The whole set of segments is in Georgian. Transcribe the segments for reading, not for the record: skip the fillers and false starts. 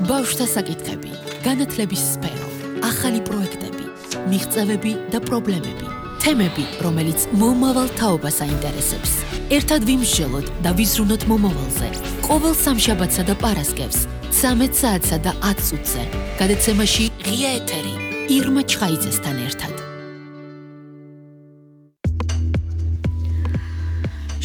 ბავშვთა საკითხები, განათლების სფერო, ახალი პროექტები, მიღწევები და პრობლემები, თემები, რომელიც მომავალ თაობას აინტერესებს. ერთად ვიმსჯელოთ და ვიზრუნოთ მომავალზე. ყოველ სამშაბათსა და პარასკევს, 13 საათსა და 10 წუთზე. გადაცემაში ღია ეთერი, ირმა ჩხაიძესთან ერთად.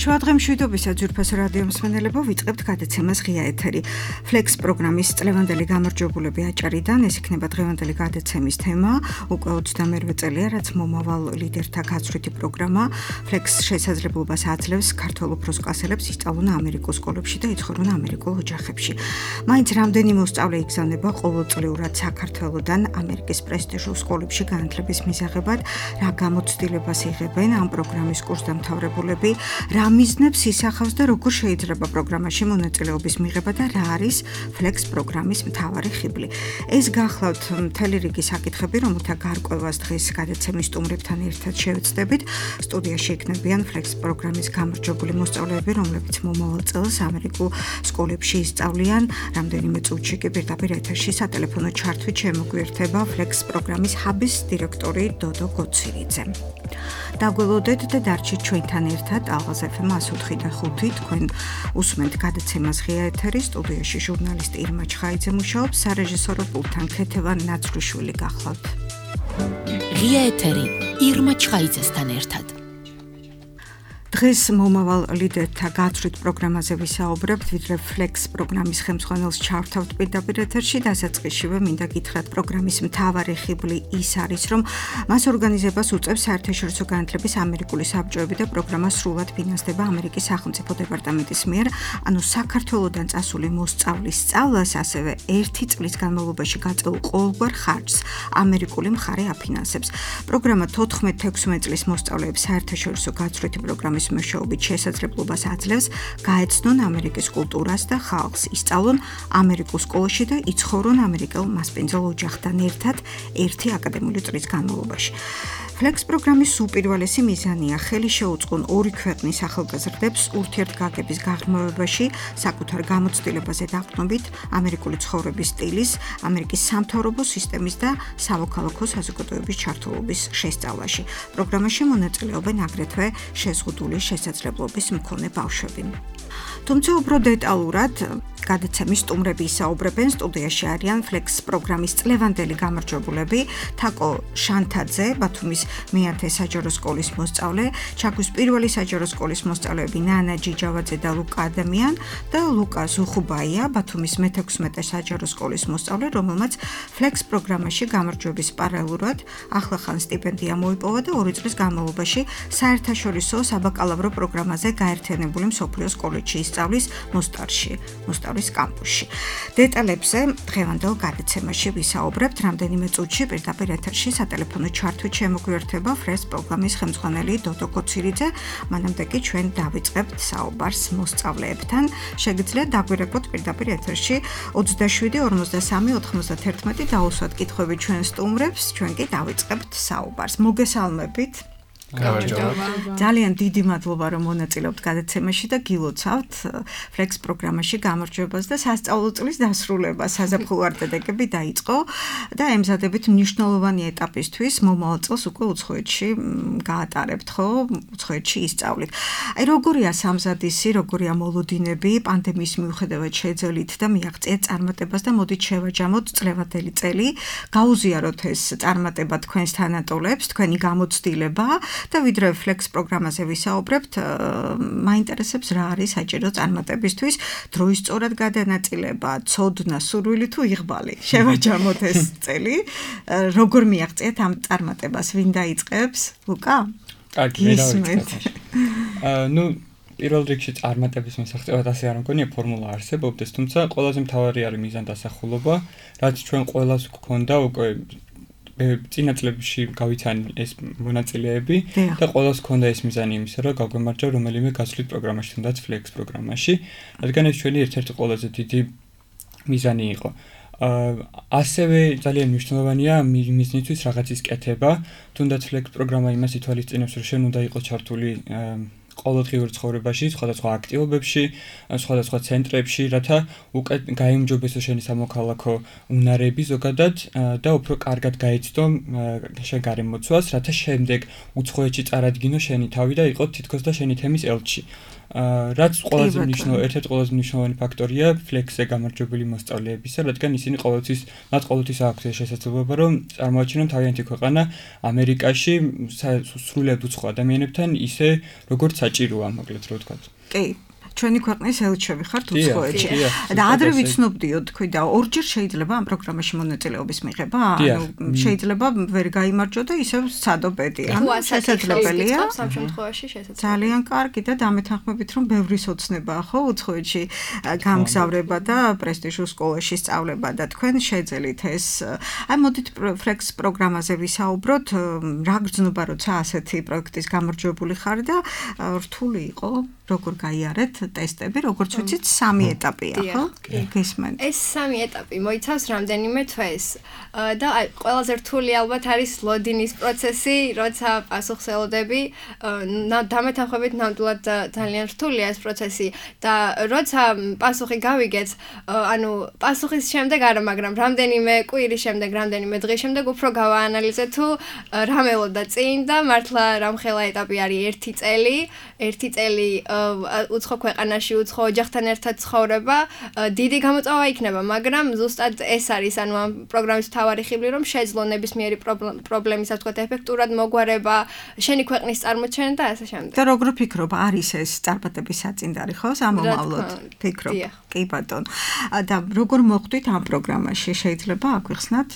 შუადღე მშვიდობისა ძვირფასო რადიო მსმენელებო, ვიწყებთ გადაცემას ღია ეთერი. Flex პროგრამის წლევანდელი გამარჯვებულები აჭარიდან, ეს იქნება დღევანდელი გადაცემის თემა, უკვე 22 წელია, რაც მომავალ ლიდერთა გაცვლითი პროგრამა. Flex შესაძლებლობას აძლევს ქართველ უფროს კლასელებს ისწავლონ ამერიკულ სკოლებში და იცხოვრონ ამერიკულ ოჯახებში. მაინც რამდენი მოსწავლე იგზავნება ყოველწლიურად საქართველოდან ამერიკის პრესტიჟულ სკოლებში განათლების მისაღებად, რა გამოცდილებას იღებენ ამ პროგრამის კურსდამთავრებულები, რა მიზნებს ისახავს და როგორ შეიძლება პროგრამაში მონაწილეობის მიღება და რა არის Flex პროგრამის მთავარი ხიბლი. ეს გახლავთ მთელი რიგი საკითხები, რომელთა გარკვევას დღეს გადაცემის სტუმრებთან ერთად შევეცდებით. სტუდიაში იქნებიან Flex პროგრამის გამარჯვებული მოსწავლეები, რომლებიც მომავალ წელს ამერიკულ სკოლებში ისწავლიან. რამდენიმე წუთში კი პირდაპირ ეთერში სატელეფონო ჩართვით შემოგვიერთება Flex პროგრამის ჰაბის დირექტორი დოდო გოცირიძე. დაგველოდეთ და დარჩით ჩვენთან ერთად ალღაზ FM 104.5 თქვენ უსმენთ გადაცემას ღია ეთერი, სტუდიაში ჟურნალისტი ირმა ჩხაიძე მუშაობს, სარეჟისორო პულტთან ქეთევან ნაცრუშვილი გახლავთ. ღია ეთერი, ირმა ჩხაიძესთან ერთად. დღეს მომავალ ლიდერთა გაცვლით პროგრამაზე ვისაუბრებთ, ვიდრე Flex პროგრამის ხელმძღვანელს ჩავთავთ პირდაპირ ეთერში, დასაწყისშივე მინდა გითხრათ, პროგრამის მთავარი ხიბლი ის არის, რომ მას ორგანიზებას უწევს საერთაშორისო განათლების ამერიკული საბჭოები და პროგრამა სრულად ფინანსდება ამერიკის სახელმწიფო დეპარტამენტის მიერ, ანუ საქართველოდან წასული მოსწავლის სწავლას, ასევე 1 წლის განმავლობაში გაწეულ ყოველგვარ ხარჯს ამერიკული მხარე აფინანსებს. პროგრამა 14-16 წლის მოსწავლეებს საერთაშორისო გაცვლითი პროგრამის მეშვეობით შესაძლებლობას აძლევს გაეცნონ ამერიკის კულტურას და ხალხს, ისწავლონ ამერიკულ სკოლაში და იცხოვრონ ამერიკელ მასპინძელ ოჯახთან ერთად 1 აკადემიური წლის განმავლობაში. Flex პროგრამის უპირველესი მიზანია ხელი შეუწყონ ორი ქვეყნის ახალგაზრდებს ურთიერთგაგების გაღრმავებაში, საკუთარ გამოცდილებაზე დაყრდნობით, ამერიკული ცხოვრების სტილის, ამერიკის სამთავრობო სისტემის და სამოქალაქო საზოგადოების ჩართულობის შესწავლაში. პროგრამაში მონაწილეობენ აგრეთვე შეზღუდული შესაძლებლობის მქონე ბავშვები. თუმცა უფრო დეტალურად გადაცემის სტუმრები ისაუბრებენ, სტუდიაში არიან Flex პროგრამის წლევანდელი გამარჯვებულები, თაკო შანთაძე, ბათუმის მე-10 საჯარო სკოლის მოსწავლე, ჩაქვის პირველი საჯარო სკოლის მოსწავლეები ნანა ჯიჯავაძე და ლუკა ადამიან და ლუკა ზუხუბაია, ბათუმის მე-16 საჯარო სკოლის მოსწავლე, რომელმაც Flex პროგრამაში გამარჯვების პარალელურად ახლახან სტიპენდია მოიპოვა და 2 წლის განმავლობაში საერთაშორისო საბაკალავრო პროგრამაზე გაერთიანებული მსოფლიოს კოლეჯში ისწავლის მოსტავლის კამპუსში. დეტალებზე დღევანდელ გადაცემაში ვისაუბრებთ, რამდენიმე წუთში პირდაპირ ეთერში სატელეფონო ჩართვით შემოგვიერთება Flex პროგრამის ხელმძღვანელი დოდო გოცირიძე, მანამდე კი ჩვენ დავიწყებთ საუბარს მოსწავლეებთან. შეგიძლიათ დაგვირეკოთ პირდაპირ ეთერში 27 43 91 დაუსვათ კითხვები ჩვენ სტუმრებს, ჩვენ კი დავიწყებთ საუბარს. მოგესალმებით. ძალიან დიდი მადლობა, რომ მონაწილეობთ გადაცემაში და გილოცავთ Flex პროგრამაში გამარჯვებას და სასწავლო წლის დასრულებას. საზაფხულო არდადეგები დაიწყო და ემზადებით მნიშვნელოვანი ეტაპისთვის, მომავალ წელს უკვე უცხოეთში გაატარებთ, ხო? უცხოეთში ისწავლით. აი, როგორია სამზადისი, როგორია მოლოდინები, პანდემიის მიუხედავად შეძელით და მიაღწიეთ წარმატებას და მოდით შევაჯამოთ წლევანდელი წელი, გაუზიაროთ ეს წარმატება თქვენს თანატოლებს, თქვენი გამოცდილება. და ვიდრე Flex პროგრამაზე ვისაუბრებთ, მაინტერესებს რა არის საჭირო წარმატებისთვის, დროის სწორად გადანაწილება, ცოდნა, სურვილი თუ იღბალი. შევაჯამოთ ეს წელი. როგორ მიაღწიეთ ამ წარმატებას? ვინ დაიწყებს? ლუკა? კარგი, პირველ რიგში წარმატების მისაღწევად ასე არ მგონია ფორმულა არსებობდეს, თუმცა ყველაზე მთავარი არის მიზანდასახულობა, რაც ჩვენ ყველას გვქონდა უკვე წინა წლებში გავიცანი ეს მონაწილეები და ყველას ჰქონდა ეს მიზანი იმისა, რომ გაგვემარჯვა რომელიმე გაცვლით პროგრამაში, თუნდაც Flex პროგრამაში, რადგან ეს ჩვენი ერთ-ერთი ყველაზე დიდი მიზანი იყო. ასევე ძალიან მნიშვნელოვანია მიზნისთვის რაღაცის კეთება, თუნდაც Flex პროგრამა იმას ითვალისწინებს, რომ შენ უნდა იყოს ჩართული ყოველდღიურ ცხოვრებაში, სხვადასხვა აქტივობებში, სხვადასხვა ცენტრებში, რათა უკეთ გაიმჯობესო შენი სამოქალაქო უნარები ზოგადად და უფრო კარგად გაიცნო შენ გარემოცვას, რათა შემდეგ უცხოეთში წარადგინო შენი თავი და იყო თითქოს და შენი თემის ელჩი. რაც ერთ-ერთი ყველაზე მნიშვნელოვანი ფაქტორია ფლექსზე გამარჯვებული მოსწავლეებისა, რადგან ისინი მათ ყოველთვის აქვთ შესაძლებლობა, რომ წარმოაჩინონ თავიანთი ქვეყანა ამერიკაში სრულიად უცხო ადამიანებთან ისე, როგორც საჭიროა, მოკლედ რო ვთქვათ. კი. ჩვენი ქვეყნის ელჩები ხართ უცხოეთში. და ადრე ვიცნობდიო თქვი და ორჯერ შეიძლება ამ პროგრამაში მონაწილეობის მიღება? ანუ შეიძლება ვერ გაიმარჯვო და ისევ სცადობედი. ანუ შესაძლებელია. სამ შემთხვევაში შესაძლებელია. ძალიან კარგი და დამეთანხმებით რომ ბევრი სოცნებაა ხო უცხოეთში გამგზავრება და პრესტიჟულ სკოლაში სწავლება და თქვენ შეძელით ეს. აი მოდით ფლექს პროგრამაზე ვისაუბროთ. რა გრძნობა როცა ასეთი პროექტის გამარჯვებული ხარ და რთული იყო როგორ გაიარეთ ტესტები, როგორც ვიცით, 3 ეტაპია, ხო? გესმენთ. ეს 3 ეტაპი მოიცავს რამდენიმე თვეს. და აი, ყველაზე რთული ალბათ არის ლოდინის პროცესი, როცა პასუხს ელოდები. დამეთანხმებით ნამდვილად ძალიან რთულია ეს პროცესი და როცა პასუხი გავიგეთ, ანუ პასუხის შემდეგ არა, მაგრამ რამდენიმე კვირის შემდეგ, რამდენიმე დღის შემდეგ უფრო გავაანალიზეთ თუ რა მელოდა წინ და მართლა რამხელა ეტაპი არის 1 წელი, 1 წელი უცხო ქვეყანაში უცხო ოჯახთან ერთად ცხოვრება დიდი გამოწვევა იქნება, მაგრამ ზუსტად ეს არის ანუ ამ პროგრამის მთავარი ხიბლი, რომ შეძლო ნებისმიერი პრობლემის, ასე ვთქვათ, ეფექტურად მოგვარება, შენი ქვეყნის წარმოჩენა და ასე შემდეგ. და როგორ ფიქრობ, არის ეს წარმატების საწინდარი, ხო? სამომავლოდ ფიქრობ. კი ბატონო. და როგორ მოხვდით ამ პროგრამაში? შეიძლება აგვიხსნათ?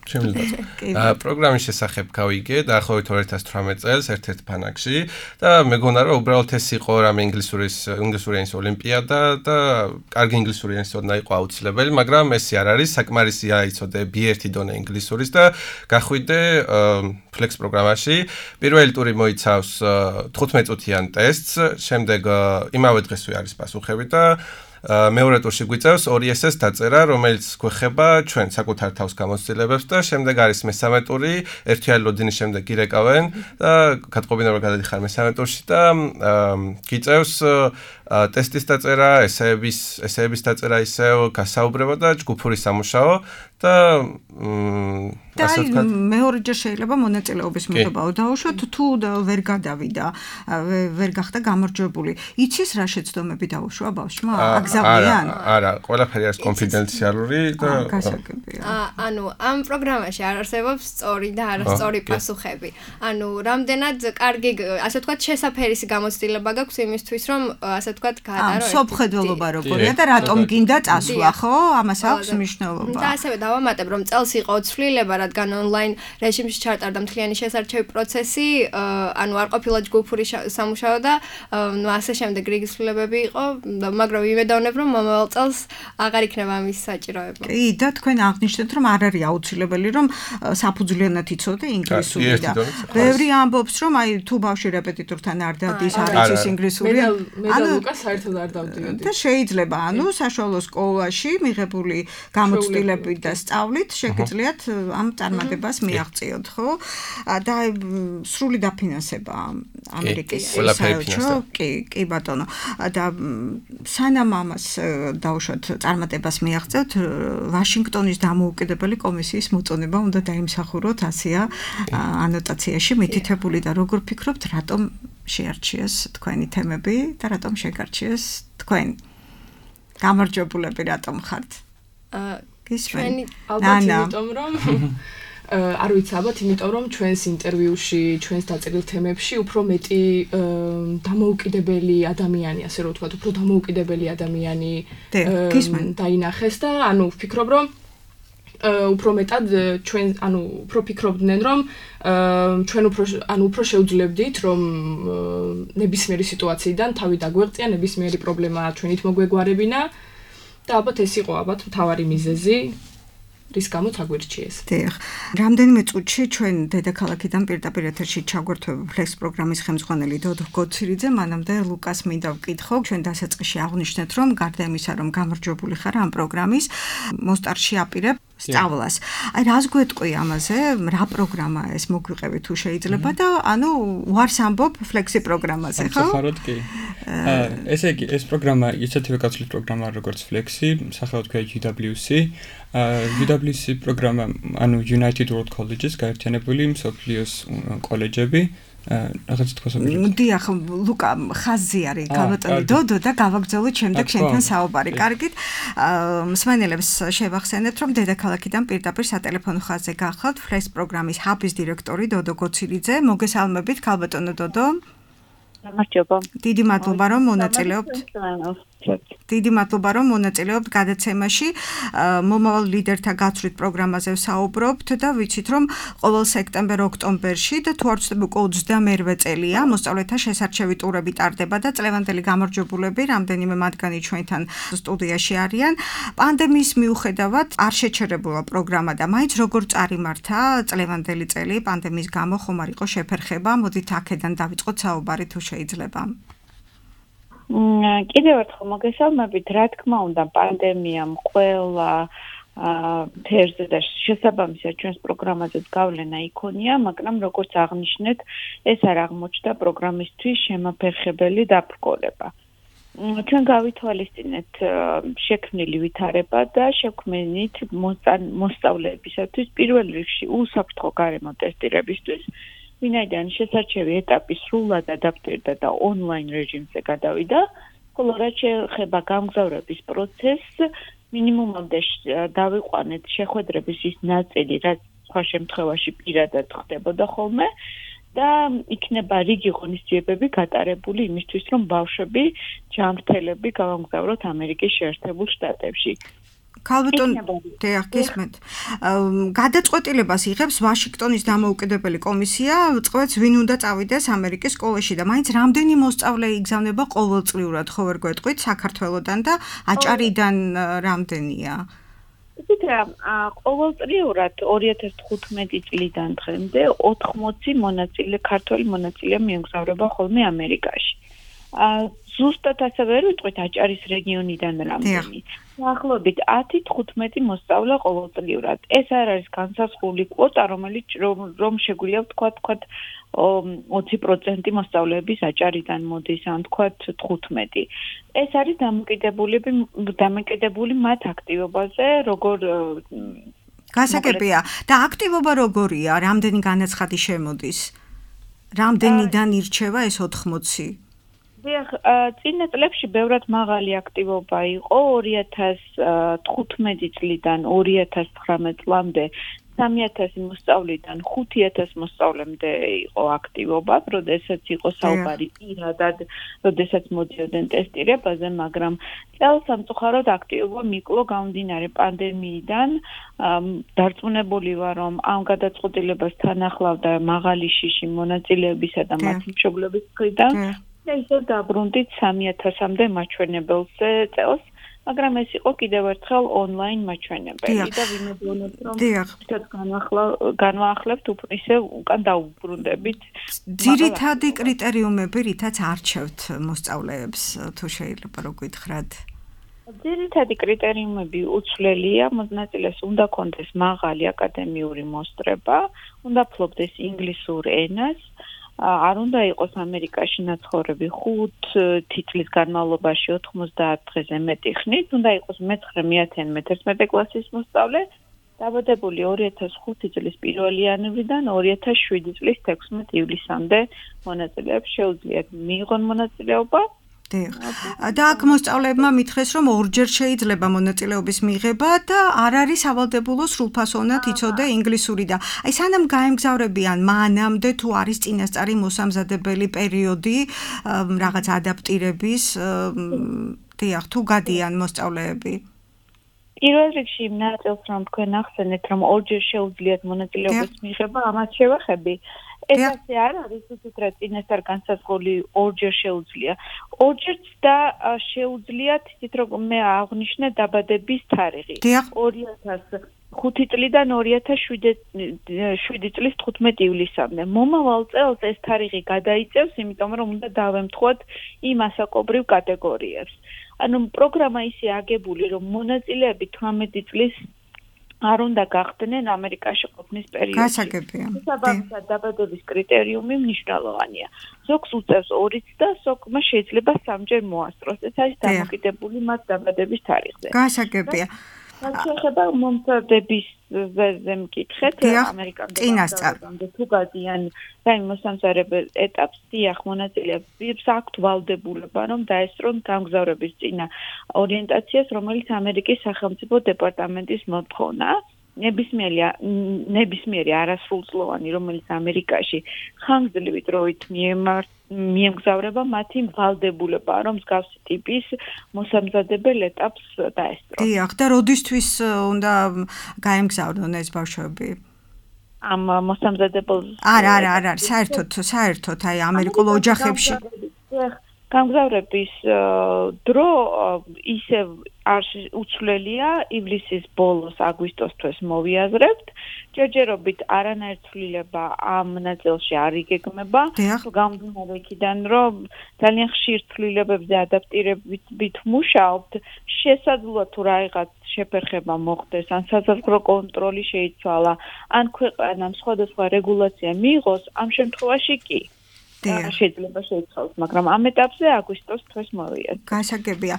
შემიძლია. პროგრამის შესახებ გავიგე დაახლოებით 2018 წელს ერთ-ერთ ფანაკში და მეგონა რომ უბრალოდ ეს იყო რამე ინგლისური ენის ოლიმპიადა და კარგი ინგლისური ენის ოდნა იყო აუცილებელი, მაგრამ ესე არ არის, საკმარისია იცოდე B1 დონე ინგლისურის და გახვიდე ფლექს პროგრამაში. პირველი ტური მოიცავს 15 წუთიან ტესტს, შემდეგ იმავე დღესვე არის პასუხები და მეორე ტურში გვიწევს 2 ესეს დაწერა, რომელიც გვეხება ჩვენ საკუთარ თავს გამოცდილებებს და შემდეგ არის მესამე ტური, ერთიანი ლოდინის შემდეგ გირეკავენ და გატყობინება გადადიხარ მესამე ტურში და გიწევს ტესტის დაწერა, ესეების დაწერა ისევ, გასაუბრება და ჯგუფური სამუშაო და ასე ვთქვათ, მეორეჯერ შეიძლება მონაწილეობის მიღება დაუშვათ, თუ ვერ გადავიდა, ვერ გახდა გამარჯვებული. იცის რა შეცდომები დაუშვა ბავშვმა? აგზავნიან? არა, ყველაფერი არის კონფიდენციალური და გასაგებია. ანუ ამ პროგრამაში არ არსებობს სწორი და არასწორი პასუხები. ანუ რამდენად კარგი, ასე ვთქვათ, შესაფერისი გამოცდილება გაქვს იმისთვის, რომ ასე ვთქვათ, გაატარო. სოფხედველობა როგორია და რატომ გინდა წასვლა, ხო? ამას აქვს მნიშვნელობა. და ასევე დავამატებ, რომ წელს იყო ცვლილება, რადგან ონლაინ რეჟიმში ჩატარდა მთლიანი შესარჩევი პროცესი, ანუ არ ყოფილა ჯგუფური სამუშაო და ასე შემდეგ რიგი ცვლილებები იყო, მაგრამ ვიმედოვნებ, რომ მომავალ წელს აღარ იქნება ამის საჭიროება. კი, და თქვენ აღნიშნეთ, რომ არ არის აუცილებელი, რომ საფუძვლიანად იცოდე ინგლისური და ბევრი ამბობს, რომ აი თუ ბავშვი რეპეტიტორთან არ დადის, არ იცის ინგლისური, ანუ ლუკას საერთოდ არ დავდიოდი. და შეიძლება, ანუ საშუალო სკოლაში მიღებული გამოცდილებით და სწავლით შეგიძლიათ ამ წარმატებას მიაღწიოთ, ხო? და სრული დაფინანსება ამერიკის საელჩო, კი ბატონო. და სანამ ამას დავუშვათ წარმატებას მიაღწევთ, ვაშინგტონის დამოუკიდებელი კომისიის მოწონება უნდა დაიმსახუროთ, ასეა ანოტაციაში მითითებული და როგორ ფიქრობთ, რატომ შეარჩიეს თქვენი თემები და რატომ შეგარჩიეს თქვენ? გამარჯვებულები რატომ ხართ? ჩვენი ალბათ იმიტომ რომ არ ვიცი, ალბათ იმიტომ რომ ჩვენს ინტერვიუში, ჩვენს დაწერილ თემებში უფრო მეტი დამოუკიდებელი ადამიანი, ასე რომ ვთქვათ, უფრო დამოუკიდებელი ადამიანი დაინახეს და ანუ ვფიქრობ რომ უფრო მეტად ჩვენ ანუ უფრო ფიქრობდნენ რომ ჩვენ უფრო შევძლებდით რომ ნებისმიერი სიტუაციიდან თავი დაგვეღწია, ნებისმიერი პრობლემა ჩვენით მოგვეგვარებინა და ალბათ ეს იყო მთავარი მიზეზი რის გამოც აგვირჩიეს. დიახ. რამდენიმე წუთში ჩვენ დედაქალაქიდან პირდაპირ ეთერში ჩაგვერთვება ფლექს პროგრამის ხელმძღვანელი დოდო გოცირიძე, მანამდე ლუკას მინდა ვკითხო, ჩვენ დასაწყისში აღვნიშნეთ, რომ გარდა იმისა, რომ გამარჯვებული ხარ ამ პროგრამის, მოსტარში აპირებ სწავლას. აი რას გვეტყვი ამაზე? რა პროგრამაა ეს მოგვიყევი თუ შეიძლება და ანუ უარს ამბობ ფლექსი პროგრამაზე, ხო? საერთოდ კი. ესე იგი, ეს პროგრამა ისეთივე გაცვლის პროგრამაა როგორც ფლექსი, სახელად ქვია UWC. UWC პროგრამა, ანუ United World Colleges, გაერთიანებული მსოფლიოს კოლეჯები. რაღაც თქოს ამბობ. დიახ, ლუკა, ხაზი არის გავატონე დოდო და გავაგრძელოთ შემდეგ შენთან საუბარი. კარგით. მსმენელებს შევახსენებთ, რომ დედაქალაქიდან პირდაპირ სატელეფონო ხაზზე გახლავთ ფლექს პროგრამის ჰაბის დირექტორი დოდო გოცირიძე. მოგესალმებით, ქალბატონო დოდო. გამარჯობა. დიდი მადლობა, რომ მონაწილეობთ. დიდი მადლობა, რომ მონაწილეობთ გადაცემაში. მომავალ ლიდერთა გაცვლით პროგრამაზე ვსაუბრობთ და ვიცით, რომ ყოველ სექტემბერ-ოქტომბერში და თუ არ ვცდები უკვე 28 წელია მოსწავლეთა შესარჩევი ტურები ტარდება და წლევანდელი გამარჯვებულები, რამდენიმე მათგანი ჩვენთან სტუდიაში არიან. პანდემიის მიუხედავად არ შეჩერებულა პროგრამა და მაინც როგორ წარიმართა წლევანდელი წელი პანდემიის გამო ხომ არ იყო შეფერხება. მოდით აქედან დავიწყოთ საუბარი თუ შეიძლება. კიდევ ერთხელ მოგესალმებით, რა თქმა უნდა, პანდემიამ ყველა ფერზე და შესაბამისად ჩვენს პროგრამაზეც გავლენა იქონია, მაგრამ როგორც აღნიშნეთ, ეს არ აღმოჩნდა პროგრამისთვის შემაფერხებელი დაბრკოლება. ჩვენ გავითვალისწინეთ შექმნილი ვითარება და შექმნით მოსწავლეებისათვის პირველ რიგში უსაფრთხო გარემო ტესტირებისთვის, ვინაიდან შესარჩევი ეტაპი სრულად ადაპტირდა და ონლაინ რეჟიმზე გადავიდა, ხოლო რაც შეეხება გამგზავრების პროცესს, მინიმუმამდე დავიყვანეთ შეხვედრების ის ნაწილი, რაც სხვა შემთხვევაში პირადად ხდებოდა ხოლმე და იქნება რიგი ღონისძიებები გატარებული იმისთვის, რომ ბავშვები ჯანმრთელები გავამგზავროთ ამერიკის შეერთებულ შტატებში. ქალბატონ დიახ, გისმენთ. გადაწყვეტილებას იღებს ვაშინგტონის დამოუკიდებელი კომისია, წყვეტს ვინ უნდა წავიდეს ამერიკის სკოლაში და მაინც რამდენი მოსწავლე იგზავნება ყოველწლიურად, ხო ვერ გვეტყვით საქართველოსდან და აჭარიდან რამდენია? იცით რა, ყოველწლიურად 2015 წლიდან დღემდე 80 ქართველი მონაწილე მიემგზავრება ხოლმე ამერიკაში. ზუსტად ასე ვერ ვიტყვით აჭარის რეგიონიდან რამდენი. დაახლოებით 10-15 მოსწავლე ყოველწლიურად. ეს არ არის განსაზღვრული კვოტა, რომელიც რომ შეგვიძლია ვთქვათ 20% მოსწავლეების აჭარიდან მოდის, ან ვთქვათ 15. ეს არის დამოკიდებული მათ აქტივობაზე, როგორ გასაგებია და აქტივობა როგორია, რამდენი განაცხადი შემოდის? რამდენიდან ირჩევა ეს 80? დიახ, წინა წლებში ბევრად მაღალი აქტივობა იყო 2015 წლიდან 2019 წლამდე 3000 მოსწავლიდან 5000 მოსწავლემდე იყო აქტივობა, როდესაც იყო საუბარი პირადად, როდესაც მოდიოდნენ ტესტირებაზე, მაგრამ წელს სამწუხაროდ აქტივობა მიკლო გამომდინარე პანდემიიდან. დარწმუნებული ვარ, რომ ამ გადაწყვეტილებას ახლავდა მაღალი შიში მონაწილეებისა და მათი მშობლების მხრიდან. და ისე დაბრუნდით 3000-მდე მაჩვენებელზე წელს, მაგრამ ეს იყო კიდევ ერთხელ ონლაინ მაჩვენებელი და ვიმეძონებ, რომ განვაახლებთ ისე უკან დაუბრუნდებით. ძირითადი კრიტერიუმები, რითაც არჩევთ მოსწავლეებს, თუ შეიძლება რო გითხრათ? ძირითადი კრიტერიუმები უცვლელია, მონაწილეს უნდა კონდეს მაღალი აკადემიური მოსწრება, უნდა ფლობდეს ინგლისურ ენას, არ უნდა იყოს ამერიკაში ნაცხოვრები 5 წლის განმავლობაში 90 დღეზე მეტი ხნით, უნდა იყოს მე-9-11 კლასის მოსწავლე, დაბადებული 2005 წლის 1 იანვრიდან 2007 წლის 16 ივლისამდე მონაწილეებს შეუძლიათ მიიღონ მონაწილეობა. და აქ მოსწავლეებმა მითხრეს, რომ ორჯერ შეიძლება მონაწილეობის მიღება და არ არის სავალდებულო სრულფასოვნად იცოდე ინგლისური და აი სანამ გაემგზავრებიან მანამდე თუ არის წინასწარი მოსამზადებელი პერიოდი რაღაც ადაპტირების დიახ თუ გადიან მოსწავლეები პირველ რიგში ნაწილს რომ თქვენ ახსენეთ რომ ორჯერ შეუძლიათ მონაწილეობის მიღება ამას შევახები ეს ასე არ არის უცებ რა წინასწარ განსაზღვრული ორჯერ შეუძლია ორჯერც და შეუძლიათ ისეთ რომ მე აღნიშნე დაბადების თარიღი 2005 წლიდან 2007 წლის 15 ივლისამდე მომავალ წელს ეს თარიღი გადაიწევს იმიტომ რომ უნდა დავემთხვათ იმ ასაკობრივ კატეგორიებს ანუ პროგრამა ისე აგებული რომ მონაწილეები 18 წლის არ უნდა გახდნენ ამერიკაში ყოფნის პერიოდში. გასაგებია. საბაბისად დაბადების კრიტერიუმი მნიშვნელოვანია. ზოგს უწევს 2-ც და ზოგმა შეიძლება 3-ჯერ მოასწროს. ეს არის დამოკიდებული მათ დაბადების თარიღზე. გასაგებია. შეიძლება მომზადების ზე მკითხეთ ამერიკამდე თუ გადიან რაიმე მოსამზადებელ ეტაპს დიახ მონაწილეებს აქვთ ვალდებულება რომ დაესწრონ გამგზავრების წინა ორიენტაციას რომელიც ამერიკის სახელმწიფო დეპარტამენტის მოთხოვნა ნებისმიერი არასრულწლოვანი რომელიც ამერიკაში ხანგრძლივი დროით მიემგზავრება მათი ვალდებულება რომ მსგავსი ტიპის მოსამზადებელ ეტაპს დაესწრონ. დიახ და როდისთვის უნდა გაემგზავრონ ეს ბავშვები? ამ მოსამზადებელ არა, საერთოდ აი ამერიკულ ოჯახებში გამგზავრების დრო ისევ არ უცვლელია ივლისის ბოლოს აგვისტოს თვეს მოვიაზრებთ ჯერჯერობით არანაირ ცვლილება ამ ნაწილში არ იგეგმება გამომდინარე იქიდან რომ ძალიან ხშირ ცვლილებებზე ადაპტირებით მუშაობთ შესაძლოა თუ რაღაცა შეფერხება მოხდეს ან საზღვაო კონტროლი შეიცვალა ან ქვეყანამ სხვადასხვა რეგულაცია მიიღოს ამ შემთხვევაში კი შეიძლება შეიცვალოს, მაგრამ ამ ეტაპზე აგვისტოს თვეს მოვიაზრებთ. გასაგებია.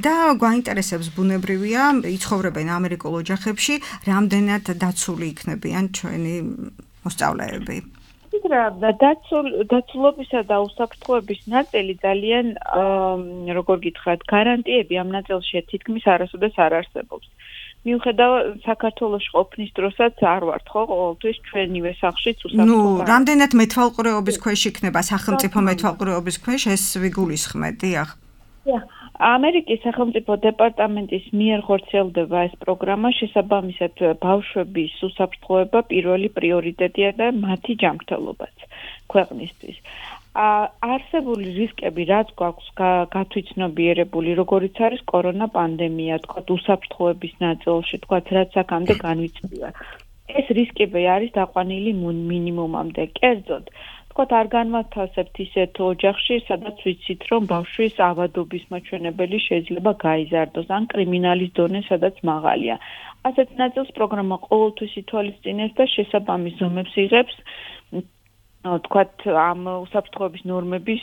და გვაინტერესებს ბუნებრივია, იცხოვრებენ ამერიკულ ოჯახებში, რამდენად დაცული იქნებიან ჩვენი მოსწავლეები. დაცულობისა და უსაფრთხოების ნაწილი ძალიან როგორ გითხრათ, გარანტიები ამ ნაწილში თითქმის არასოდეს არ არსებობს. მიუხედავად საქართველოს ყოფნის დროსაც არ ვართ ხო ყოველთვის ჩვენივე სახლშიც უსაფრთხო. რამდენად მეთვალყურეობის ქვეშ იქნება სახელმწიფო მეთვალყურეობის ქვეშ ეს ვიგულისხმეთ, დიახ. ამერიკის სახელმწიფო დეპარტამენტის მიერ ხორციელდება ეს პროგრამა, შესაბამისად ბავშვების უსაფრთხოება პირველი პრიორიტეტია და მათი ჯანმრთელობაც ქვეყნისთვის. არსებული რისკები რაც გვაქვს გათვითცნობიერებული როგორიც არის კორონა პანდემია თქვა უსაფრთხოების ნაწილში თქვა რაც აქამდე განვიცდია ეს რისკები არის დაყვანილი მინიმუმამდე კერძოდ თქვა არ განვათავსებთ ისეთ ოჯახში სადაც ვიცით რომ ბავშვის ავადობის მაჩვენებელი შეიძლება გაიზარდოს ან კრიმინალის დონე სადაც მაღალია ასეთ ნაწილს პროგრამა ყოველთვის ითვალისწინებს და შესაბამის ზომებს იღებს თქვათ ამ უსაფრთხოების ნორმების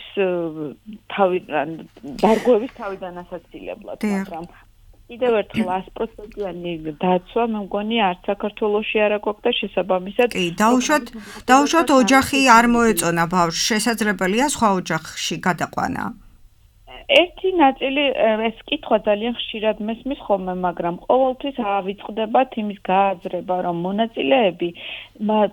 დარღვევის თავიდან ასაცილებლად, მაგრამ კიდევ ერთხელ 100%-იანი დაცვა მე მგონი არც საქართველოში არ აქვს და შესაბამისად კი, დაუშვათ ოჯახი არ მოეწონა ბავშვს, შესაძლებელია სხვა ოჯახში გადაყვანა. ერთი ნაწილი ეს კითხვა ძალიან ხშირად მესმის ხოლმე, მაგრამ ყოველთვის ავიწყდებათ იმის გააზრება, რომ მონაწილეები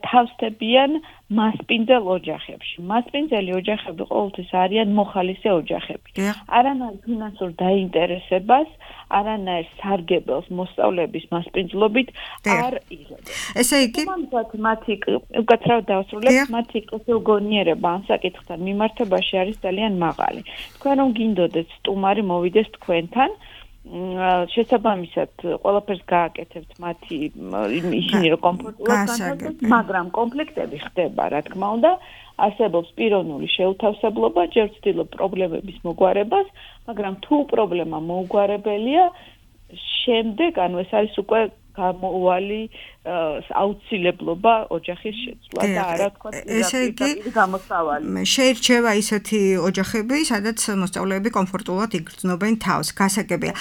თავსდებიან მასპინძელ ოჯახებში. მასპინძელი ოჯახები ყოველთვის არიან მოხალისე ოჯახები. არანაირ ფინანსურ დაინტერესებას, არანაირ სარგებელს მოსწავლეების მასპინძლობით არ იღებენ. ესე იგი, მათი უკაცრავად დავასრულებ, მათი კეთილგონიერება ამ საკითხთან მიმართებაში არის ძალიან მაღალი. თქვენ რომ გინდოდეთ სტუმარი მოვიდეს თქვენთან შესაბამისად ყველაფერს გააკეთებთ მათი ისინი რომ კომფორტულად განთავსდეს, მაგრამ კონფლიქტები ხდება, რა თქმა უნდა, არსებობს პიროვნული შეუთავსებლობა, ჯერ ვცდილობ პრობლემების მოგვარებას, მაგრამ თუ პრობლემა მოუგვარებელია, შემდეგ ანუ ეს არის უკვე გამოუვალი აუცილებლობა ოჯახის შეცვლა და არა თქვა პირდაპირ გამოსავალი. შეირჩევა ისეთი ოჯახები, სადაც მოსწავლეები კომფორტულად იგრძნობენ თავს, გასაგებია.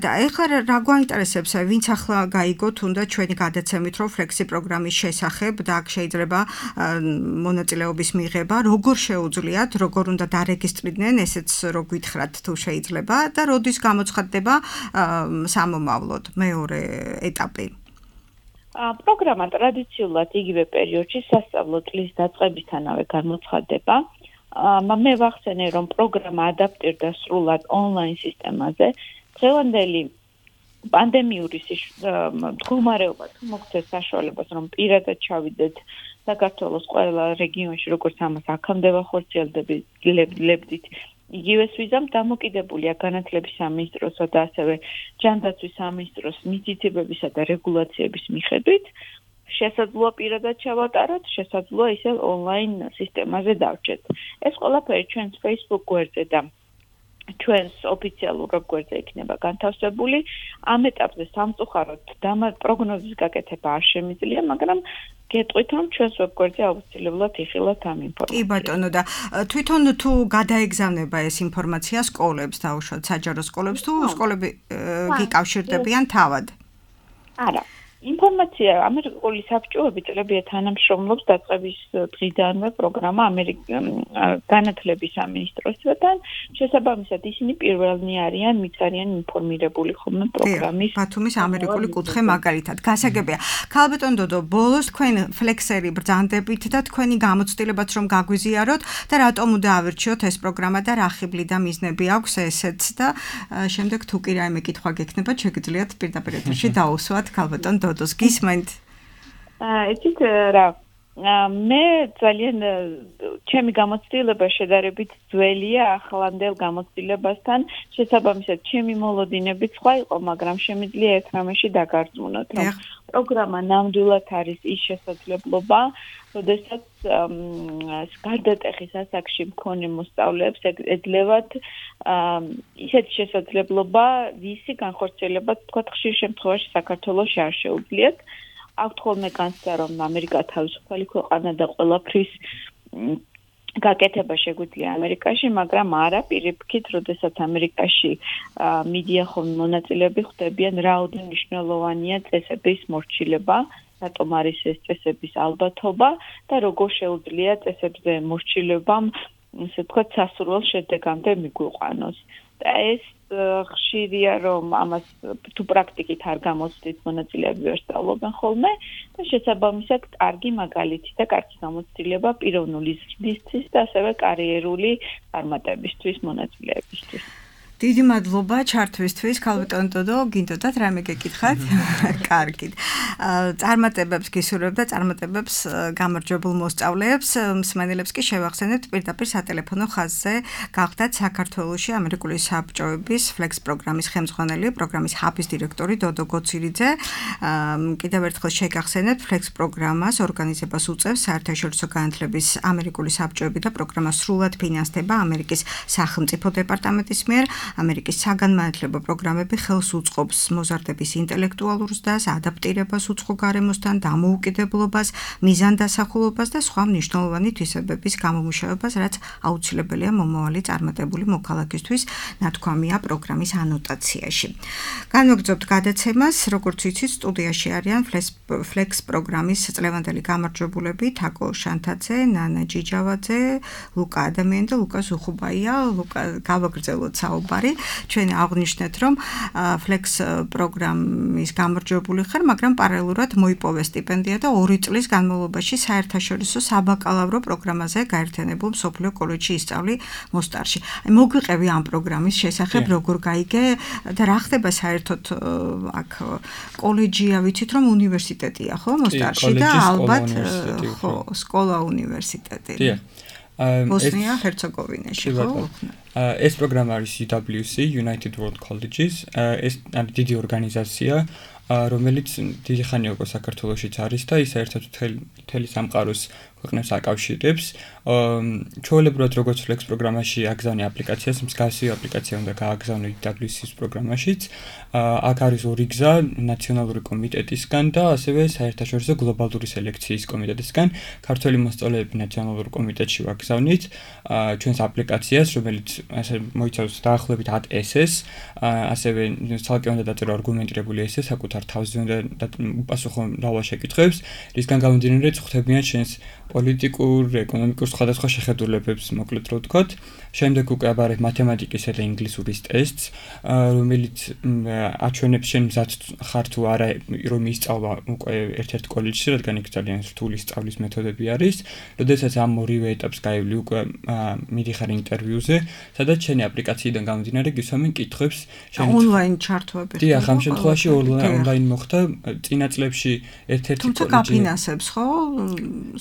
და ეხლა რა გვაინტერესებს, ვინც ახლა გაიგო თუნდაც ჩვენი გადაცემით, რომ ფლექსი პროგრამის შესახებ და აქ შეიძლება მონაწილეობის მიღება, როგორ შეუძლიათ, როგორ უნდა დარეგისტრირდნენ, ესეც რო გითხრათ თუ შეიძლება და როდის გამოცხადდება სამომავლოდ მეორე ეტაპი. პროგრამა ტრადიციულად იგივე პერიოდში სასწავლო წლის დაწყებისთანავე გამოცხადდება. მე ვახსენე, რომ პროგრამა ადაპტირდა სრულად ონლაინ სისტემაზე. დღევანდელი პანდემიური მდგომარეობა თუ მოგცეს საშუალებას, რომ პირადად ჩავიდეთ საქართველოს ყველა რეგიონში, როგორც ამას აქამდე ვახორციელებდით, იგივეს ვიზამ დამოკიდებულია განათლების სამინისტროსა და ასევე ჯანდაცვის სამინისტროს მითითებებისა და რეგულაციების მიხედვით შესაძლოა პირადად ჩავატაროთ, შესაძლოა ისევ ონლაინ სისტემაზე დავჭერთ. ეს ყველაფერი ჩვენს Facebook გვერდზე და ჩვენს ოფიციალურ ვებგვერდზე იქნება განთავსებული. ამ ეტაპზე სამწუხაროდ პროგნოზის გაკეთება არ შემიძლია, მაგრამ გეტყვით, რომ ჩვენს ვებგვერდზე აუცილებლად იხილავთ ამ ინფორმაციას. კი ბატონო და თვითონ თუ გადაეგზავნება ეს ინფორმაცია სკოლებს, დაუშვათ საჯარო სკოლებს, თუ სკოლები გიკავშირდებიან თავად? არა. ინფორმაცია ამერიკული საბჭოები წლებია თანამშრომლობს დაწყების დღიდანვე პროგრამა განათლების სამინისტროსთან. შესაბამისად ისინი პირველნი არიან მიწარიან ინფორმირებული ხოლმე პროგრამის ბათუმის ამერიკული კუთხე მაგალითად. გასაგებია. ქალბატონ დოდო, ბოლოს თქვენ ფლექსერი ბრძანდებით და თქვენი გამოცდილებაც რომ გაგვიზიაროთ და რატომ უნდა ავირჩიოთ ეს პროგრამა და რა ხიბლი და მიზნები აქვს ესეც და შემდეგ თუ კი რაიმე კითხვა გექნება, შეგიძლიათ პირდაპირ ეთერში დაუსვათ ქალბატონ დოდოს გისმენთ. იცით რა მე ძალიან ჩემი გამოცდილება შედარებით ძველია ახლანდელ გამოცდილებასთან, შესაბამისად ჩემი მოლოდინებიც სხვა იყო, მაგრამ შემიძლია ერთ რამეში დაგარწმუნოთ, რომ პროგრამა ნამდვილად არის ის შესაძლებლობა, როდესაც გარდატეხის ასაკში მქონე მოსწავლეებს ეძლევათ ისეთი შესაძლებლობა, ვისი განხორციელება თქვა ხშირ შემთხვევაში საქართველოში არ შეუძლიათ. აქვთ ხოლმე განცდა, რომ ამერიკა თავისუფალი ქვეყანა და ყველაფრის გაკეთება შეგვიძლია ამერიკაში, მაგრამ არა პირიქით, როდესაც ამერიკაში მიდიან ხოლმე მონაწილეები ხვდებიან, რაოდენ მნიშვნელოვანია წესების მორჩილება, რატომ არის ეს წესების ალბათობა და როგორ შეუძლია წესებზე მორჩილებამ, ასე ვთქვათ, სასურველ შედეგამდე მიგვიყვანოს. და ეს ხშირია, რომ ამას თუ პრაქტიკით არ გამოცდით, მონაწილეები ვერ სწავლობენ ხოლმე და შესაბამისად კარგი მაგალითი და კარგი გამოცდილება პიროვნული ზრდისთვის და ასევე კარიერული წარმატებისთვის მონაწილეებისთვის. დიდი მადლობა ჩართვისთვის, ქალბატონ დოდო, გინდოდათ რამე გეკითხათ? კარგით. წარმატებებს გისურვებ და წარმატებებს გამარჯვებულ მოსწავლეებს, მსმენელებს კი შევახსენებთ პირდაპირ სატელეფონო ხაზზე გახდათ საქართველოში ამერიკული საბჭოების ფლექს პროგრამის ხელმძღვანელი, პროგრამის ჰაბის დირექტორი დოდო გოცირიძე. კიდევ ერთხელ შეგახსენებთ ფლექს პროგრამას ორგანიზებას უწევს საერთაშორისო განათლების ამერიკული საბჭოები და პროგრამა სრულად ფინანსდება ამერიკის სახელმწიფო დეპარტამენტის მიერ. ამერიკის საგანმანათლებლო პროგრამები ხელს უწყობს მოზარდების ინტელექტუალურ ზრდას, ადაპტირებას უცხო გარემოსთან, დამოუკიდებლობას, მიზანდასახულობას და სხვა მნიშვნელოვანი თვისებების გამომუშავებას, რაც აუცილებელია მომავალი წარმატებული მოქალაქისთვის, ნათქვამია პროგრამის ანოტაციაში. განვაგრძობთ გადაცემას, როგორც იცით, სტუდიაში არიან ფლექს პროგრამის წლევანდელი გამარჯვებულები, თაკო შანთაძე, ნანა ჯიჯავაძე, ლუკა ადამიანი და ლუკა ზუხუბაია. ლუკა გავაგრძელოთ საუბარი. ჩვენ აღნიშნეთ, რომ ფლექს პროგრამის გამარჯვებული ხარ, მაგრამ პარალელურად მოიპოვე სტიპენდია და 2 წლის განმავლობაში საერთაშორისო საბაკალავრო პროგრამაზე გაერთიანებულ მსოფლიო კოლეჯში ისწავლი მოსტარში. მოგვიყევი ამ პროგრამის შესახებ, როგორ გაიგე და რა ხდება საერთოდ აქ კოლეჯია, ვიცით რომ უნივერსიტეტია, ხო, მოსტარში და ალბათ ხო, სკოლა უნივერსიტეტი. ბოსნია ჰერცეგოვინაში, ხო? ეს პროგრამა არის UWC, United World Colleges, ეს დიდი ორგანიზაცია, რომელიც დიდი ხანია უკვე საქართველოშიც არის და ის საერთოდ მთელი სამყაროს ქვეყნებს აკავშირებს. ჩვეულებრივად როგორც ფლექს პროგრამაში აგზავნე აპლიკაციას, მსგავსი აპლიკაცია უნდა გააგზავნო UWC-ის პროგრამაშიც. აქ არის 2 გზა, ნაციონალური კომიტეტისგან და ასევე საერთაშორისო გლობალური სელექციის კომიტეტისგან. ქართველი მოსწავლეები ნაციონალურ კომიტეტში ვაგზავნით ჩვენს აპლიკაციას, რომელიც ასე მოიცავს დაახლოებით 10 ესეს, ასევე ცალკე უნდა დაწერო არგუმენტირებული ესე, საკუთარ თავზე უნდა უპასუხო მრავალ შეკითხვებს, რისგან გამომდინარე ხვდებიან ჩვენს პოლიტიკურ, ეკონომიკურ სხვადასხვა შეხედულებებს, მოკლედ რო ვთქვათ. შემდეგ უკვე აბარებ მათემატიკისა და ინგლისურის ტესტს, რომელიც აჩვენებს შენ მზად ხარ თუ არა რომ ისწავლა უკვე ერთ-ერთ კოლეჯში, რადგან იქ ძალიან რთული სწავლის მეთოდები არის. როდესაც ამ ორივე ეტაპს გაივლი უკვე მიდიხარ ინტერვიუზე, სადაც შენი აპლიკაციიდან გამომდინარე გისვამენ კითხვებს, ონლაინ ჩართვები. დიახ, ამ შემთხვევაში ონლაინ მოხდა წინა წლებში ერთ-ერთი თუმცა გაფინანსებს, ხო?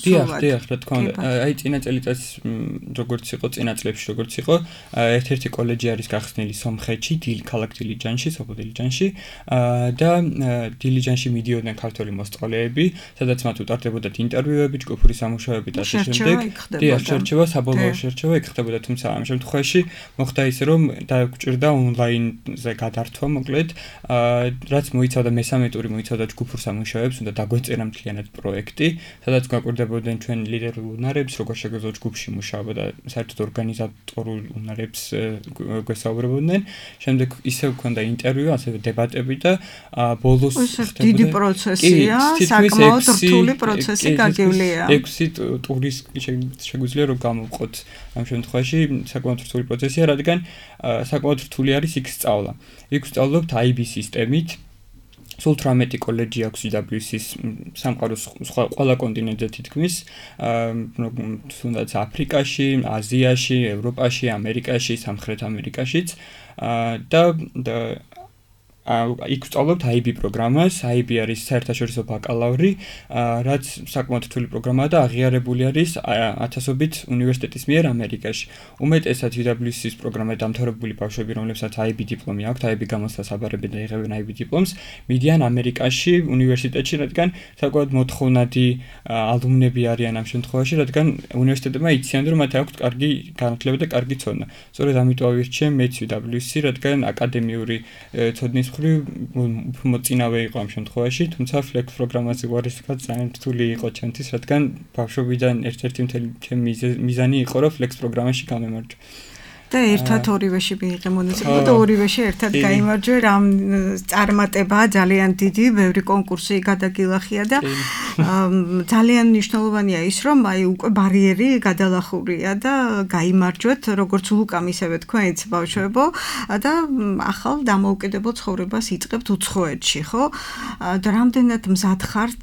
დიახ, ნამდვილად. დიახ, რა თქმა უნდა. აი წინა წელიწადს როგორც იყო, წინა წლებში როგორც იყო, ერთ-ერთი კოლეჯი არის გახსნილი სომხეთში, ქალაქ დილიჯანში, სოფელ დილიჯანში, და დილიჯანში მიდიოდნენ ქართველი მოსწავლეები, სადაც მათ უტარდებოდათ ინტერვიუები, ჯგუფური სამუშაოები და ასე შემდეგ. დიახ, შერჩევა, საბოლოო შერჩევა იქ ხდებოდა, თუმცა ამ შემთხვევაში მოხდა ისე, რომ დაგვჭირდა ონლაინზე გადართვა, მოკლედ, რაც მოიცავდა მესამე ტური მოიცავდა ჯგუფურ სამუშაოებს, უნდა დაგვეწერა მთლიანად პროექტი, სადაც გვაკვირდებოდნენ ჩვენ ლიდერულ უნარებს, როგორ შეგვეძლო ჯგუფში მუშაობა და საერთოდ ორგანიზატორულ უნარებს გვესაუბრებოდნენ. შემდეგ ისევ ქონდა ინტერვიუ, ასევე დებატები და ბოლოს ხდებოდა დიდი პროცესია, საკმაოდ რთული პროცესი გაგივლია. 6 ტურის შეგვიძლია რომ გამოვყოთ ამ შემთხვევაში საკმაოდ რთული პროცესია, რადგან საკმაოდ რთული არის იქ სწავლა. იქ ვსწავლობთ IB სისტემით. სულ 18 კოლეჯი აქვს EWS-ის სამყაროს ყველა კონტინენტზე თითქმის, თუნდაც აფრიკაში, აზიაში, ევროპაში, ამერიკაში, სამხრეთ ამერიკაშიც და იქ ვსწავლობთ IB პროგრამას. IB არის საერთაშორისო ბაკალავრი, რაც საკმაოდ რთული პროგრამაა და აღიარებული არის ათასობით უნივერსიტეტის მიერ ამერიკაში. უმეტესად EWS-ის პროგრამაზე დამთავრებული ბავშვები, რომლებსაც IB დიპლომი აქვთ, IB გამოცდას აბარებენ და იღებენ IB დიპლომს, მიდიან ამერიკაში უნივერსიტეტში, რადგან საკმაოდ მოთხოვნადი ალუმნები არიან ამ შემთხვევაში, რადგან უნივერსიტეტებმა იციან, რომ მათ აქვთ კარგი განათლება და კარგი ცოდნა. სწორედ ამიტომ ავირჩიე მეც EWS-ი, რადგან აკადემიური ცოდნის მოწინავე იყო ამ შემთხვევაში, თუმცა Flex პროგრამაზე ვარისკად ძალიან რთული იყო ჩემთვის, რადგან ბავშვობიდან ერთ-ერთი მთელი მიზანი იყო, რომ Flex პროგრამაში გამემარჯვე. და ერთად ორივეში მიიღე მონაწილეობა და ორივეში ერთად გაიმარჯვე. რამ წარმატებაა ძალიან დიდი, ბევრი კონკურსი გადაგილახია და ძალიან მნიშვნელოვანია ის, რომ აი უკვე ბარიერი გადალახურია და გაიმარჯვეთ, როგორც ლუკამ ისევე თქვენიც ბავშვებო და ახალ დამოუკიდებელ ცხოვრებას იწყებთ უცხოეთში, ხო? და რამდენად მზად ხართ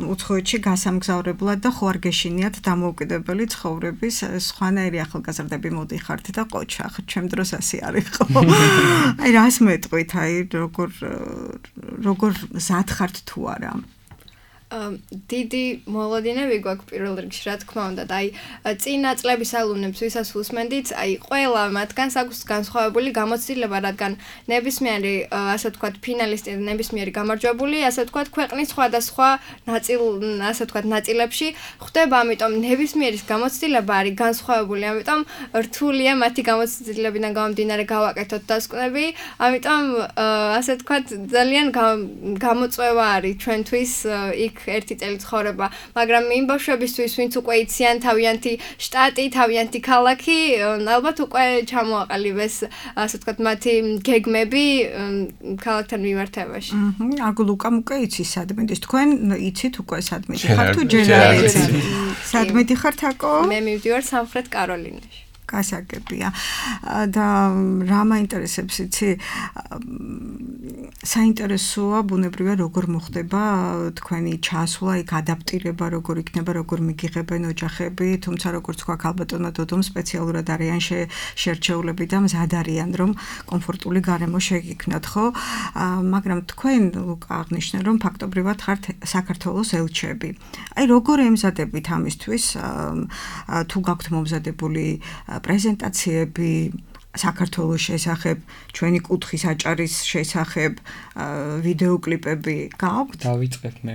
უცხოეთში გასამგზავრებლად და ხო არ გეშინიათ დამოუკიდებელი ცხოვრების სხვანაირი ახალგაზრდები მოდიხართ და ოჩახ, ჩემ დროს ასე არის ხო? აი რას მეტყვით, აი როგორ მზად ხართ თუ არა? დიდი მოლოდინები გვაქვს პირველ რიგში, რა თქმა უნდა, და აი წინა წლების ალუმნებს ვისაც უსმენდით, აი ყველა მათგანს აქვს განსხვავებული გამოცდილება, რადგან ნებისმიერი, ასე ვთქვათ, ფინალისტი და ნებისმიერი გამარჯვებული, ასე ვთქვათ, ქვეყნის სხვადასხვა ნაწილებში ხდება, ამიტომ ნებისმიერის გამოცდილება არის განსხვავებული, ამიტომ რთულია მათი გამოცდილებიდან გამომდინარე გავაკეთოთ დასკვნები, ამიტომ ასე ვთქვათ, ძალიან გამოწვევა არის ჩვენთვის იქ ერთი წელი ცხოვრება, მაგრამ იმ ბავშვებისთვის, ვინც უკვე იციან თავიანთი შტატი, თავიანთი ქალაქი, ალბათ უკვე ჩამოაყალიბეს, ასე ვთქვათ, მათი გეგმები ქალაქთან მიმართებაში. აგლუკამ უკვე იცის სადმედის. თქვენ იცით უკვე სადმედი ხართ თუ ჯერ არ იცით? სადმედი ხართ აკო? მე მივდივარ სამხრეთ კაროლინაში. გასაგებია და რა მაინტერესებს იცი საინტერესოა ბუნებრივია როგორ მოხდება თქვენი ჩასვლა იქ ადაპტირება როგორ იქნება როგორ მიგიღებენ ოჯახები თუმცა როგორც თქვა ქალბატონმა დოდომ სპეციალურად არიან შერჩეულები და მზად არიან რომ კომფორტული გარემო შეგიქმნათ ხო მაგრამ თქვენ აღნიშნეთ რომ ფაქტობრივად ხართ საქართველოს ელჩები აი როგორ ემზადებით ამისთვის თუ გაქვთ მომზადებული პრეზენტაციები საქართველოს შესახებ, ჩვენი კუთხის აჭარის შესახებ, ვიდეოკლიპები გაქვთ? დავიწყებ მე.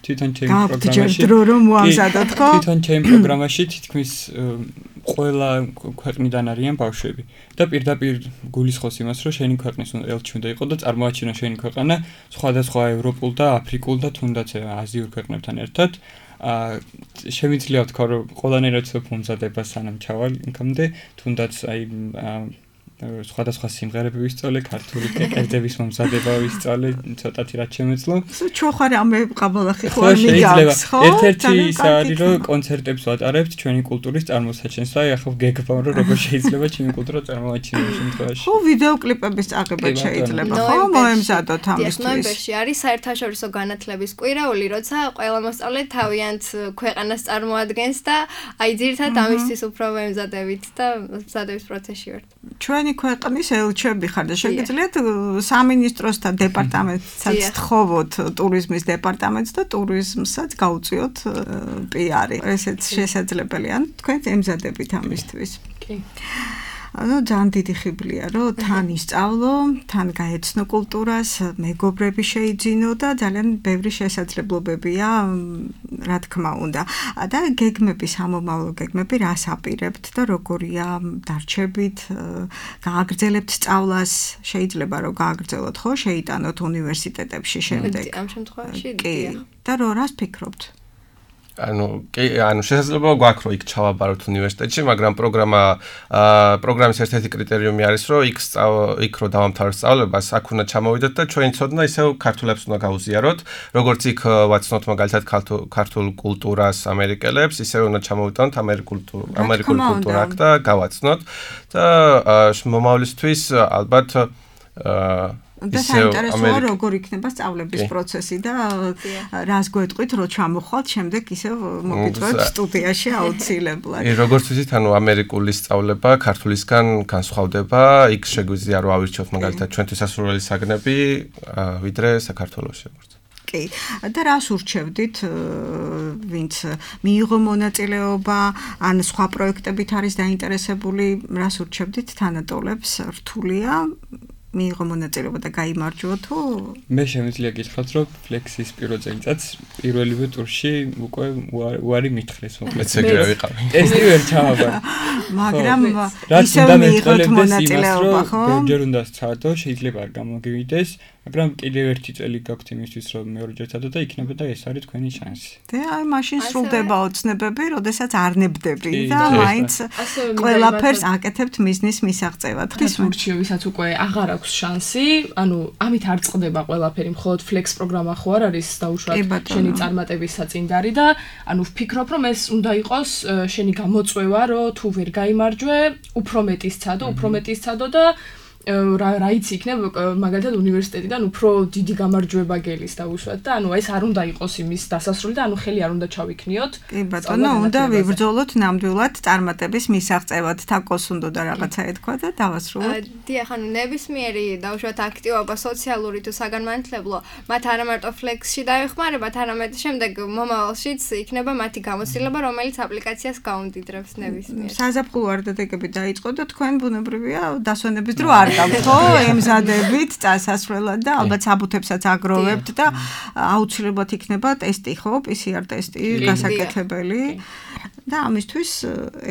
თვითონ ჩემი პროგრამაში. გაქვთ დრო რომ მოამზადოთ, ხო? თვითონ ჩემი პროგრამაში თითქმის ყველა ქვეყნიდან არიან ბავშვები. და პირდაპირ გულისხმობს იმას, რომ შენი ქვეყნის ელჩი უნდა იყოს და წარმოაჩინო შენი ქვეყანა სხვადასხვა ევროპულ და აფრიკულ და თუნდაც აზიურ ქვეყნებთან ერთად. შემიძლია ვთქვა, რომ ყველანაირად მომზადება სანამ ჩავალ იქამდე, თუნდაც აი სხვადასხვა სიმღერები ვისწავლე, ქართული კერძების მომზადება ვისწავლე, ცოტათი რაც შემეძლო. ჩვენ ხარ ამე ყაბალახი ხო მიგავს, ხო? ერთ-ერთი ის არის, რომ კონცერტებს ვატარებთ ჩვენი კულტურის წარმოსაჩენს და ახლა გეგმავ, რომ როგორ შეიძლება ჩვენი კულტურა წარმოაჩინოს ამ შემთხვევაში. ხო, ვიდეოკლიპების წაღება შეიძლება, ხო? მოემზადოთ ამისთვის. ნოემბერში არის საერთაშორისო განათლების კვირაული, როცა ყველა მოსწავლე თავიანთ ქვეყანას წარმოადგენს და აი ძირითადად ამისთვის უფრო ვემზადებით და მზადების პროცესში ვართ. ჩვენ თქვენი ქვეყნის ელჩები ხარ და შეგიძლიათ სამინისტროს და დეპარტამენტსაც თხოვოთ ტურიზმის დეპარტამენტს და ტურიზმსაც გაუწიოთ პიარი. ესეც შესაძლებელია. თქვენ ემზადებით ამისთვის. კი. ძალიან დიდი ხიბლია, რომ თან ისწავლო, თან გაეცნო კულტურას, მეგობრები შეიძინო და ძალიან ბევრი შესაძლებლობებია, რა თქმა უნდა. და გეგმები, სამომავლო გეგმები რას აპირებთ და როგორია დარჩებით, გააგრძელებთ სწავლას, შეიძლება რომ გააგრძელოთ, ხო, შეიტანოთ უნივერსიტეტებში შემდეგ. ამ შემთხვევაში კი. და რას ფიქრობთ? შესაძლოა გვაქვს რომ იქ ჩავაბაროთ უნივერსიტეტში, მაგრამ პროგრამის ერთ-ერთი კრიტერიუმი არის, რომ იქ რო დავამთავროთ სწავლებას, აქ უნდა ჩამოვიდეთ და ჩვენი ცოდნა ისევ ქართულებს უნდა გავუზიაროთ, როგორც იქ ვაცნოთ მაგალითად ქართულ კულტურას ამერიკელებს, ისევ უნდა ჩამოვიტანოთ ამერიკული კულტურა აქ და გავაცნოთ და მომავლისთვის ალბათ და საინტერესოა როგორ იქნება სწავლების პროცესი და რას გვეტყვით რომ ჩამოხვალთ შემდეგ ისევ მოგიწევთ სტუდიაში აუცილებლად. როგორც ვიცით, ამერიკული სწავლება ქართულისგან განსხვავდება, იქ შეგვიძლია რომ ავირჩიოთ მაგალითად ჩვენთვის სასურველი საგნები, ვიდრე საქართველოში. კი. და რას ურჩევდით, ვინც მიიღო მონაწილეობა, ან სხვა პროექტებით არის დაინტერესებული, რას ურჩევდით თანატოლებს, რთულია მიიღო მონაწილეობა და გაიმარჯვო თუ? მე შემიძლია გითხრათ, რომ ფლექსის პირველ წელიწადს პირველივე ტურში უკვე უარი მითხრეს მოკლედ. მეც ეგრე ვიყავი. ტესტი ვერ ჩავაბარ. მაგრამ ისევ მიიღოთ მონაწილეობა, ხო? ბევრჯერ უნდა სცადო, შეიძლება არ გამოგივიდეს, მაგრამ კიდევ ერთი წელი გაქვთ იმისთვის, რომ მეორეჯერ სცადო და იქნება და ეს არის თქვენი შანსი. და აი მაშინ სრულდება ოცნებები, როდესაც არ ნებდები და მაინც ყველაფერს აკეთებთ მიზნის მისაღწევად. დღეს ურჩევისაც უკვე აღარ აქვს შანსი, ამით არ წყდება ყველაფერი, მხოლოდ ფლექს პროგრამა ხო არ არის დაუშვათ შენი წარმატების საწინდარი და ვფიქრობ, რომ ეს უნდა იყოს შენი გამოწვევა, რომ თუ ვერ გაიმარჯვე, უფრო მეტი სცადო და რა იცი იქნებ მაგალითად უნივერსიტეტიდან უფრო დიდი გამარჯვება გელის დაუშვათ და ეს არ უნდა იყოს იმის დასასრული და ხელი არ უნდა ჩავიქნიოთ. კი ბატონო, უნდა ვიბრძოლოთ ნამდვილად წარმატების მისაღწევად, თაკოს უნდა და რაღაცა ეთქვა და დავასრულოთ. დიახ, ნებისმიერი დაუშვათ აქტივობა სოციალური თუ საგანმანათლებლო, მათ არა მარტო ფლექსში დაეხმარებათ, არამედ შემდეგ მომავალშიც იქნება მათი გამოცდილება, რომელიც აპლიკაციას გაუმდიდრებს ნებისმიერ. საზაფხულო არდადეგები დაიწყო და თქვენ ბუნებრივია დასვენების დრო არ ხო, ემზადებით წასასვლელად და ალბათ საბუთებსაც აგროვებთ და აუცილებლად იქნება ტესტი, ხო, PCR ტესტი გასაკეთებელი და ამისთვის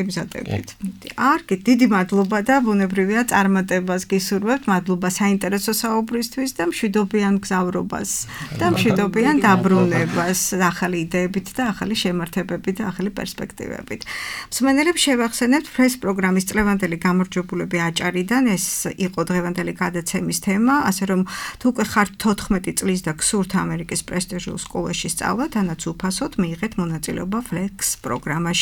ემზადებით. არგი, დიდი მადლობა და ბუნებრივია წარმატებას გისურვებთ, მადლობა საინტერესო საუბრისთვის და მშვიდობიან გზავრობას და მშვიდობიან დაბრუნებას, ახალი იდეებით და ახალი შემართებებით და ახალი პერსპექტივებით. მსმენელებს შევახსენებთ ფლექს პროგრამის წლევანდელი გამარჯვებულები აჭარიდან, ეს იყო დღევანდელი გადაცემის თემა, ასე რომ თუ უკვე ხართ 14 წლის და გსურთ ამერიკის პრესტიჟულ სკოლაში სწავლა, თანაც უფასოდ მიიღეთ მონაწილეობა ფლექს პროგრამაში.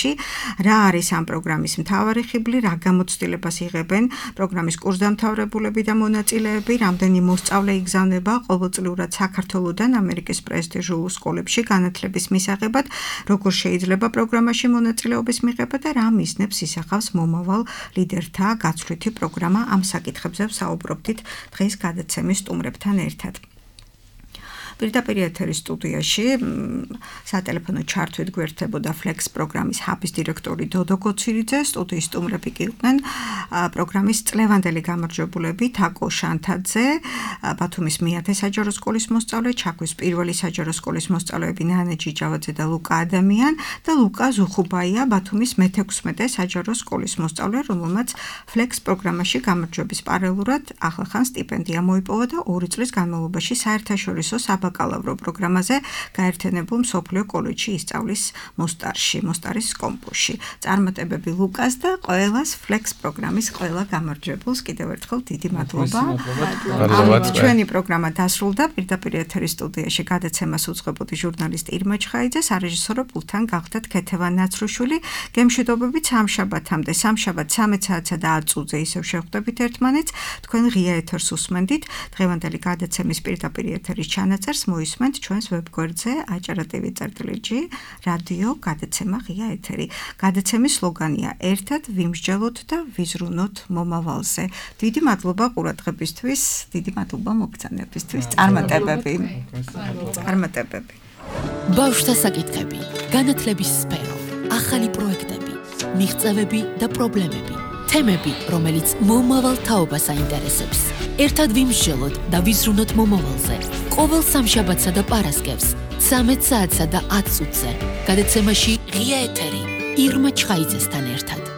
რა არის ამ პროგრამის მთავარი ხიბლი, რა გამოცდილებას იღებენ პროგრამის კურსდამთავრებულები და მონაწილეები, რამდენი მოსწავლე იგზავნება ყოველწლიურად საქართველოდან ამერიკის პრესტიჟულ სკოლებში განათლების მისაღებად, როგორ შეიძლება პროგრამაში მონაწილეობის მიღება და რა მიზნებს ისახავს მომავალ ლიდერთა გაცვლითი პროგრამა. ამ საკითხებზე საუბრობდით დღეს გადაცემის სტუმრებთან ერთად. პირდაპირ ეთერის სტუდიაში სატელეფონო ჩართვით გვერდებოდა ფლექს პროგრამის ჰაბის დირექტორი დოდო გოცირიძე, სტუდიის სტუმრები კი იყვნენ პროგრამის წლევანდელი გამარჯვებულები თაკო შანთაძე, ბათუმის მეათე საჯარო სკოლის მოსწავლე, ჩაქვის პირველი საჯარო სკოლის მოსწავლეები ნანე ჯიჯავაძე და ლუკა ადამიან და ლუკა ზუხუბაია, ბათუმის მე-16 საჯარო სკოლის მოსწავლე, რომელმაც ფლექს პროგრამაში გამარჯვების პარალელურად ახლახან სტიპენდია მოიპოვა და 2 წლის განმავლობაში საერთაშორისო საბაკალავრო პროგრამაზე გაერთიანებულ მსოფლიო კოლეჯში ისწავლის მოსტარის კომპუსში. წარმატებები ლუკას და ყველას ფლექს პროგრამის ყველა გამარჯვებულს კიდევ ერთხელ დიდი მადლობა. ჩვენი პროგრამა დასრულდა, პირდაპირ ეთერის სტუდიაში გადაცემას უძღვებოდი ჟურნალისტ ირმა ჩხაიძე, სარეჟისორო პულტთან გახდათ ქეთევან ნაცრუშვილი. გემშვიდობებით სამშაბათამდე, სამშაბათ 13 საათსა და 10 წუთზე ისევ შევხვდებით ერთმანეთს. თქვენ ღია ეთერს უსმენდით. დღევანდელი გადაცემის პირდაპირ ეთერის ჩანაწერს ყველას მოისმენთ ჩვენს ვებგვერდზე aჭara.tv/g რადიო გადაცემა ღია ეთერი. გადაცემის სლოგანია ერთად ვიმსჯელოთ და ვიზრუნოთ მომავალზე. დიდი მადლობა ყურადღებისთვის, დიდი მადლობა მოგზაურობისთვის. წარმატებები. ბავშვთა საკითხები, განათლების სფერო, ახალი პროექტები, მიღწევები და პრობლემები. თემები, რომელიც მომავალ თაობას აინტერესებს. ერთად ვიმსჯელოთ და ვიზრუნოთ მომავალზე. ყოველ სამშაბათსა და პარასკევს 13 საათსა და 10 წუთზე. გადაცემაში ღია ეთერი ირმა ჩხაიძესთან ერთად.